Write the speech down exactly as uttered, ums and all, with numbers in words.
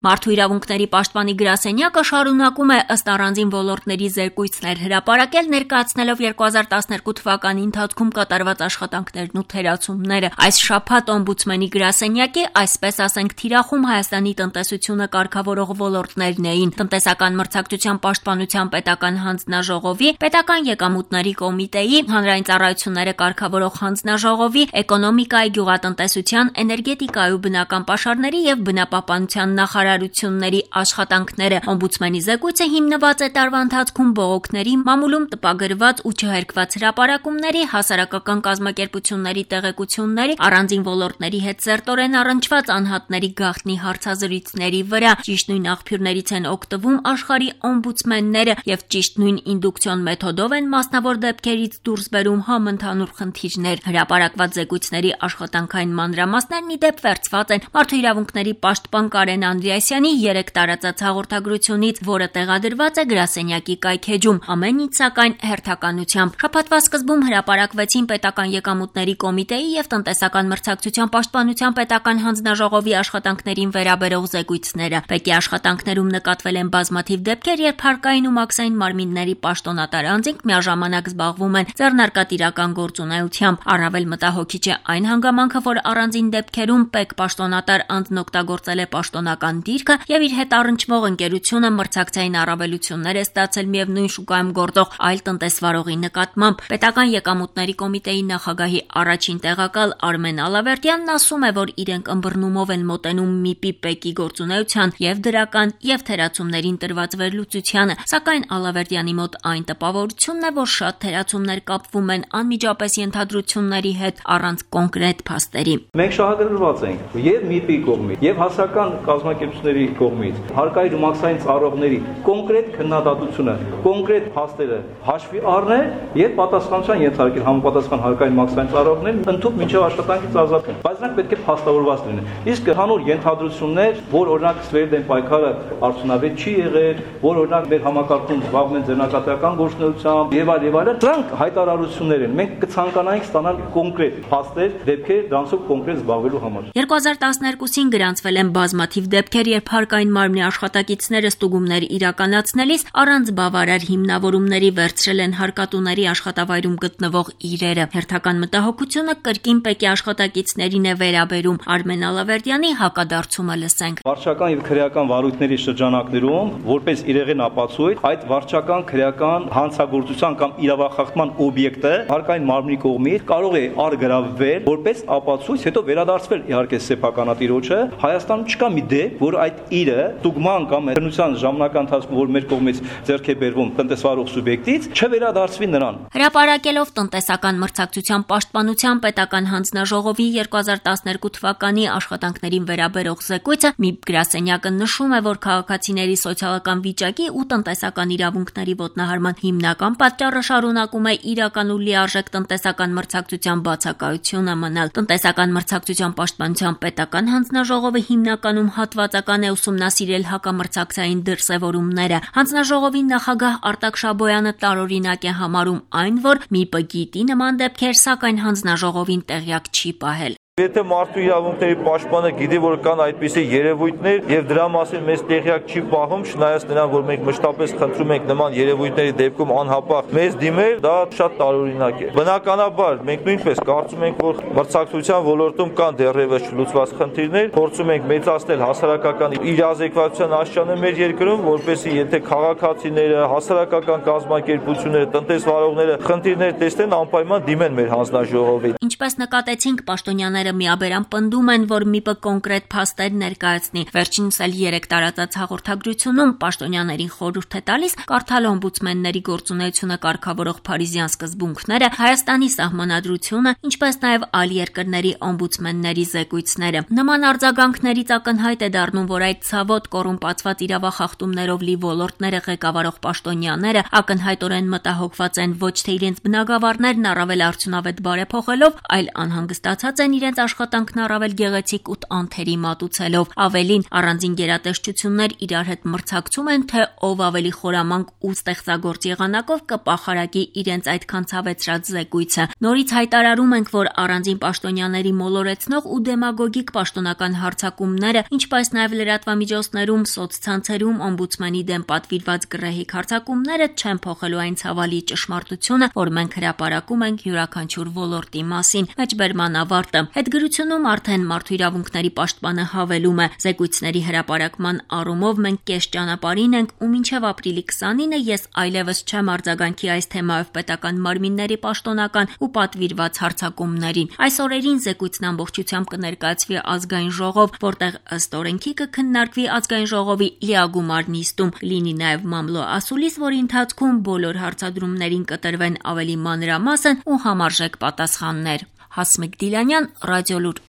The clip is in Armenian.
Մարդու իրավունքների պաշտպանի գրասենյակը շարունակում է ըստ առանձին ոլորտների զեկույցներ հրապարակել, ներկայացնելով երկու հազար տասներկու թվականի ընթացքում կատարված աշխատանքներն ու թերացումները։ Այս շաբաթ օմբուդսմենի գրասենյակի, այսպես ասենք, թիրախում Հայաստանի տնտեսությունը կարգավորող ոլորտներն էին՝ տնտեսական մրցակցության պաշտպանության պետական հանձնաժողովի, պետական եկամուտների կոմիտեի, հանրային ծառայությունները կարգավորող հանձնաժողովի, էկոնոմիկայի, գյուղատնտեսության, էներգետիկայի ու բնական պաշարների և բնապահպանության նախարարությունների աշխատանքները։ Օմբուդսմենի զեկույցը հիմնված է տարվա ընթացքում բողոքների, մամուլում տպագրված ու չհերքված հրապարակումների, հասարակական կազմակերպությունների տեղեկությունների, առանձին ոլորտների հետ սերտորեն առնչված անհատների գաղտնի հարցազրույցների վրա։ Ճիշտ նույն աղբյուրներից են օգտվում աշխարհի օմբուդսմենները և ճիշտ նույն ինդուկցիոն մեթոդով են մասնավոր դեպքերից դուրս բերում համընդհանուր խնդիրներ։ Հրապարակված զեկույցների աշխատանքային մանրամասներն ի դեպ վերցված են Մարդու իրավունքների պաշտպան Կարեն Անդրեասյանի երեք տարածած հաղորդագրությունից, որը տեղադրված է գրասենյակի կայքէջում, ամեն ինչ սակայն հերթականությամբ։ Շաբաթվա սկզբում հրապարակվեցին պետական եկամուտների կոմիտեի և տնտեսական մրցակցության պաշտպանության պետական հանձնաժողովի աշխատանքներին վերաբերող զեկույցները։ Պեկի աշխատանքներում նկատվել են բազմաթիվ դեպքեր, երբ հարկային ու մաքսային մարմինների պաշտոնատար անձինք միաժամանակ զբաղվում են ձեռնարկատիրական գործունեությամբ։ Առավել մտահոգիչ է այն հանգամանքը, որ առանձին դեպքերում ՊԵԿ պաշտոնատար անձն օգտագործել է պաշտոնական դիրքը և իր հետ առնչվող ընկերությունը մրցակցային առավելություններ է ստացել միևնույն շուկայում գործող այլ տնտեսվարողի նկատմամբ։ Պետական եկամուտների կոմիտեի նախագահի առաջին տեղակալ Արմեն Ալավերդյանն ասում է, որ իրենք ըմբռնումով են մոտենում ՄԻՊ-ի ՊԵԿ-ի գործունեության և դրական և թերացումներին տրված վերլուծությանը, սակայն Ալավերդյանի մոտ այն տպավորությունն է, որ շատ թերացումներ կապվում են անմիջապես ենթադրությունների հետ առանց կոնկրետ փաստերի։ Մենք շահագրգռված ենք և ՄԻՊ-ի կողմից, և հասարակական կազմակերպությունների կողմից, հարկային ու մաքսային ծառայողների կոնկրետ քննադատությունը, կոնկրետ փաստերը հաշվի առնել և պատասխանատվության ենթարկել համապատասխան հարկային մաքսային ծառայողներին ընդհանուր մինչև աշխատանքից ազատում։ Բայց նրանք պետք է փաստավորված լինեն։ Իսկ հանուր ենթադրություններ, որ օրինակ Սվերդեն պայքարը արդյունավետ չի եղել, որ օրինակ մեր համակարգում զբաղվում են ձեռնարկատիրական գործունեությամբ եւ այլ եւ այլն, դրանք հայտարարություններ են։ Մենք կցանկանայինք ստանալ կոնկրետ փաստեր, դեպքեր, դրանցով կոնկրետ զբաղվելու համար։ երկու հազար տասներկուսին գրանցվել են բազմաթիվ դեպքեր, երբ հարկային մարմնի աշխատակիցները ստուգումներ իրականացնելիս առանց բավարար հիմնավորումների վերցրել են հարկատուների աշխատավայրում գտնվող իրերը։ Հերթական մտահոգությունը կրկին ՊԵԿ-ի աշխատակիցներին է վերաբերում։ Արմեն Ալավերդյանի հակադարձումը լսենք։ Վարչական եւ քրեական վարույթների շրջանակներում, որպես իրեղեն ապացույց, այդ վարչական քրեական հանցագործության կամ իրավախախտման օբյեկտը հարկային մարմնի կողմից կարող է արգրավվել որպես ապացույց, հետո վերադարձվել իհարկե սեփականատիրոջը։ Հայաստանում չկա մի դեպք, որ այդ իրը ստուգման կամ քննության ժամանակահատվածի ընթացքում, որ մեր կողմից ձեռք է բերվում տնտեսվարող սուբյեկտից, չվերադարձվի նրան։ Հրապարակելով տնտեսական մրցակցության պաշտպանության պետական հանձնաժողովի երկու հազար տասներկու թվականի աշխատանքներին վերաբերող զեկույցը, ՄԻՊ գրասենյակը նշում է, որ քաղաքացիների սոցիալական վիճակի ու տնտեսական իրավունքների ոտնահարման հիմնական պատճառը շարունակում է իրական ու լիարժեք տնտեսական մրցակցության բացակայությունը մնալ։ Տնտեսական մրցակցության պաշտպանության պետական հանձնաժողովը հիմնականում հատվածական է ուսումնասիրել հակամրցակցային դրսևորումները։ Հանձնաժողովի նախագահ Արտակ Շաբոյանը տարօրինակ է համարում այն, որ ՄԻՊ-ը գիտի նման դեպքեր, սակայն հանձնաժողովին տեղյակ չի պահել։ Եթե մարդու իրավունքների պաշտպանը գիտի, որ կան այդպիսի երևույթներ եւ դրա մասին մեզ տեղյակ չի պահում, չնայած նրան, որ մենք մշտապես խնդրում ենք նման երևույթների դեպքում անհապաղ մեզ դիմել, դա շատ տարօրինակ է։ Բնականաբար, մենք նույնպես կարծում ենք, որ մրցակցության ոլորտում կան դեռևս չլուծված խնդիրներ, փորձում ենք մեծացնել հասարակական իրազեկվածության աշճանը մեր երկրում, որպեսզի եթե քաղաքացիները, հասարակական կազմակերպությունները, տնտեսվարողները խնդիրներ տեսնեն, անպայման դիմեն մեր հանձնաժողովին։ Ինչպես նկատեցինք, պաշտոնյաները միաբերան պնդում են, որ ՄԻՊ-ը կոնկրետ փաստեր ներկայացնի։ Վերջինս էլ երեք տարածած հաղորդագրությունում պաշտոնյաներին խորհուրդ է տալիս կարդալ օմբուդսմենների գործունեությունը կարգավորող փարիզյան սկզբունքները, Հայաստանի սահմանադրությունը, ինչպես նաև այլ երկրների օմբուդսմենների զեկույցները։ Նման արձագանքներից ակնհայտ է դառնում, որ այդ ցավոտ կոռումպացված իրավախախտումներով լի ոլորտները ղեկավարող պաշտոնյաները ակնհայտորեն մտահոգված են ոչ թե իրենց բնագավառներն առավել արդյունավետ բարեփոխելով, այլ անհանգստացած են իրենց իրենց աշխատանքն առավել գեղեցիկ ու անթերի մատուցելով։ Ավելին, առանձին գերատեսչություններ իրար հետ մրցակցում են, թե ով ավելի խորամանկ ու ստեղծագործ եղանակով կպախարակի իրենց այդքան ցավեցրած զեկույցը։ Նորից հայտարարում ենք, որ առանձին պաշտոնյաների մոլորեցնող ու դեմագոգիկ պաշտոնական հարձակումները, ինչպես նաև լրատվամիջոցներում, սոցցանցերում օմբուդսմանի դեմ պատվիրված գռեհիկ հարձակումները չեն փոխելու այն ցավալի ճշմարտությունը, որ մենք հրապարակում ենք յուրաքանչյուր ոլորտի մասին։ Մեջբերման ավարտը։ Հետգրությունում արդեն մարդու իրավունքների պաշտպանը հավելում է. զեկույցների հրապարակման առումով մենք կես ճանապարհին ենք ու մինչև ապրիլի քսանինը ես այլևս չեմ արձագանքի այս թեմայով պետական մարմինների պաշտոնական ու պատվիրված հարձակումներին։ Այս օրերին զեկույցն ամբողջությամբ կներկայացվի ազգային ժողով, որտեղ ըստ օրենքի կքննարկվի ազգային ժողովի լիագումար նիստում, լինի նաև մամլո ասուլիս, որի ընթացքում բոլոր հարցադրումներին կտրվեն ավելի մանրամասն ու համարժեք պատասխաններ։ Հասմիկ Դիլանյան, Ռադիոլուր։